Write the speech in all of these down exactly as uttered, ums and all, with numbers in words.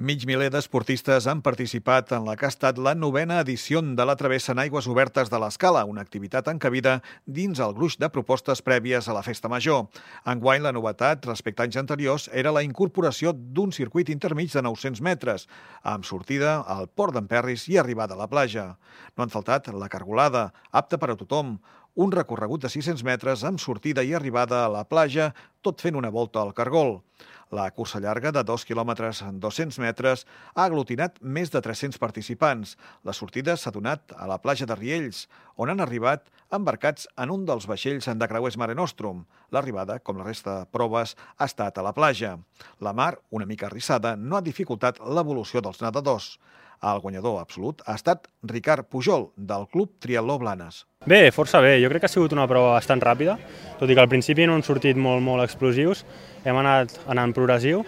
Mig miler d'esportistes han participat en la que ha estat la novena edició de la travessa en aigües obertes de l'Escala, una activitat encabida dins el gruix de propostes prèvies a la Festa Major. Enguany, la novetat respecte a anys anteriors era la incorporació d'un circuit intermig de nou-cents metres, amb sortida al Port d'Emperris i arribada a la platja. No han faltat la cargolada, apta per a tothom, un recorregut de sis-cents metres amb sortida i arribada a la platja, tot fent una volta al cargol. La cursa llarga de dos quilòmetres en dos-cents metres ha aglutinat més de tres-cents participants. La sortida s'ha donat a la platja de Riells, on han arribat embarcats en un dels vaixells de creuers Mare Nostrum. L'arribada, com la resta de proves, ha estat a la platja. La mar, una mica arrissada, no ha dificultat l'evolució dels nedadors. El guanyador absolut ha estat Ricard Pujol, del Club Triatló Blanes. Bé, força bé. Jo crec que ha sigut una prova bastant ràpida, tot i que al principi no han sortit molt, molt explosius. Hem anat anant progressiu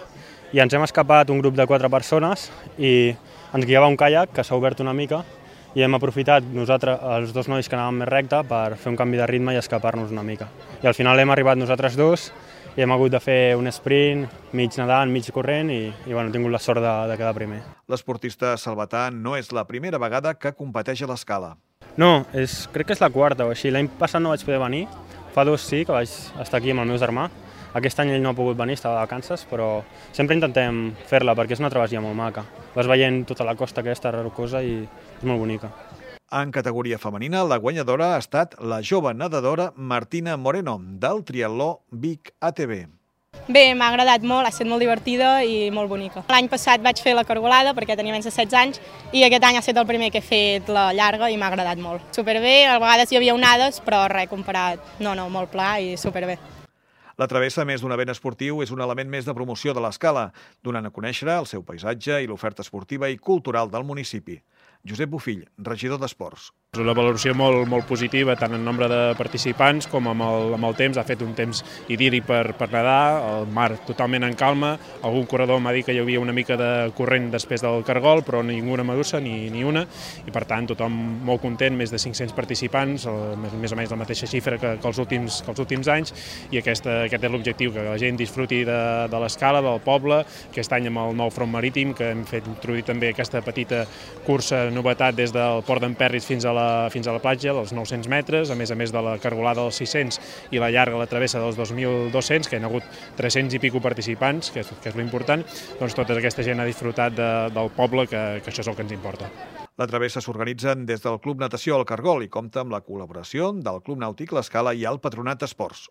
i ens hem escapat un grup de quatre persones i ens guiava un caiac que s'ha obert una mica i hem aprofitat nosaltres, els dos nois que anàvem més recte, per fer un canvi de ritme i escapar-nos una mica. I al final hem arribat nosaltres dos i hem hagut de fer un sprint, mig nedant, mig corrent i, i bueno, he tingut la sort de, de quedar primer. L'esportista salvatà no és la primera vegada que competeix a l'Escala. No, és, crec que és la quarta o així. L'any passat no vaig poder venir, fa dos sí que vaig estar aquí amb el meu germà. Aquest any ell no ha pogut venir, estava de vacances, però sempre intentem fer-la perquè és una travessia molt maca. Vas veient tota la costa aquesta rocosa i és molt bonica. En categoria femenina, la guanyadora ha estat la jove nedadora Martina Moreno, del Triatló Vic A T B. Bé, m'ha agradat molt, ha estat molt divertida i molt bonica. L'any passat vaig fer la cargolada perquè tenia menys de setze anys i aquest any ha estat el primer que he fet la llarga i m'ha agradat molt. Superbé, a vegades hi havia onades, però res comparat, no, no, molt pla i superbé. La travessa, a més d'un event esportiu, és un element més de promoció de l'Escala, donant a conèixer el seu paisatge i l'oferta esportiva i cultural del municipi. Josep Bofill, regidor d'Esports. És una valoració molt, molt positiva, tant en nombre de participants com amb el, amb el temps. Ha fet un temps idíl·lic per, per nedar, el mar totalment en calma. Algun corredor m'ha dit que hi havia una mica de corrent després del cargol, però ninguna medusa, ni, ni una. I per tant, tothom molt content, més de cinc-cents participants, el, més, més o menys la mateixa xifra que, que, els, últims, que els últims anys. I aquesta, aquest és l'objectiu, que la gent disfruti de, de l'Escala, del poble. Aquest any amb el nou front marítim, que hem fet introduir també aquesta petita cursa novetat des del Port d'Emperris fins a la fins a la platja, dels nou-cents metres, a més a més de la cargolada dels sis-cents i la llarga, la travessa dels dos mil dos-cents, que hi ha hagut tres-cents i pico participants, que és, que és l'important, doncs tota aquesta gent ha disfrutat de, del poble, que, que això és el que ens importa. La travessa s'organitzen des del Club Natació al Cargol i compta amb la col·laboració del Club Nàutic l'Escala i el Patronat d'Esports.